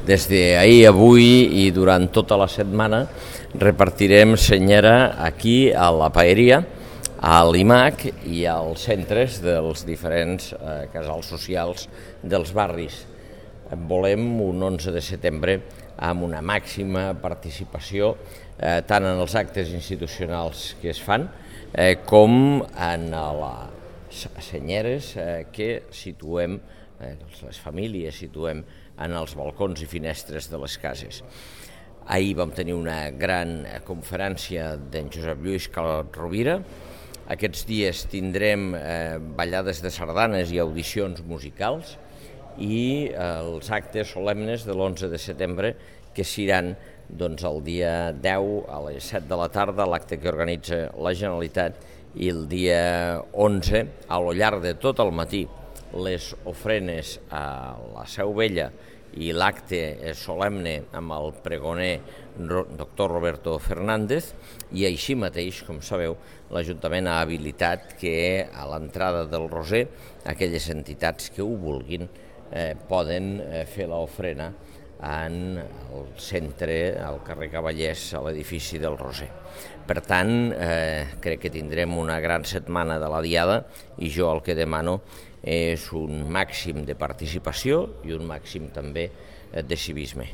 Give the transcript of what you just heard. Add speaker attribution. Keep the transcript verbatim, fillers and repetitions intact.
Speaker 1: Des d'ahir, avui i durant tota la setmana repartirem senyera aquí a la Paeria, a l'I M A C i als centres dels diferents eh, casals socials dels barris. Volem un onze de setembre amb una màxima participació eh, tant en els actes institucionals que es fan eh, com en les senyeres eh, que situem, eh, les famílies situem en els balcons i finestres de les cases. Ahir vam tenir una gran conferència d'en Josep Lluís Calot Rovira. Aquests dies tindrem eh, ballades de sardanes i audicions musicals i eh, els actes solemnes de l'onze de setembre que seran doncs, el dia deu a les set de la tarda, l'acte que organitza la Generalitat, i el dia onze, a lo llarg de tot el matí, les ofrenes a la Seu Vella i l'acte solemne amb el pregoner doctor Roberto Fernández, i així mateix, com sabeu, l'Ajuntament ha habilitat que a l'entrada del Roser aquelles entitats que ho vulguin eh, poden eh, fer l'ofrena en el centre, al carrer Cavallers, a l'edifici del Roser. Per tant, eh, crec que tindrem una gran setmana de la Diada i jo el que demano és un màxim de participació i un màxim també de civisme.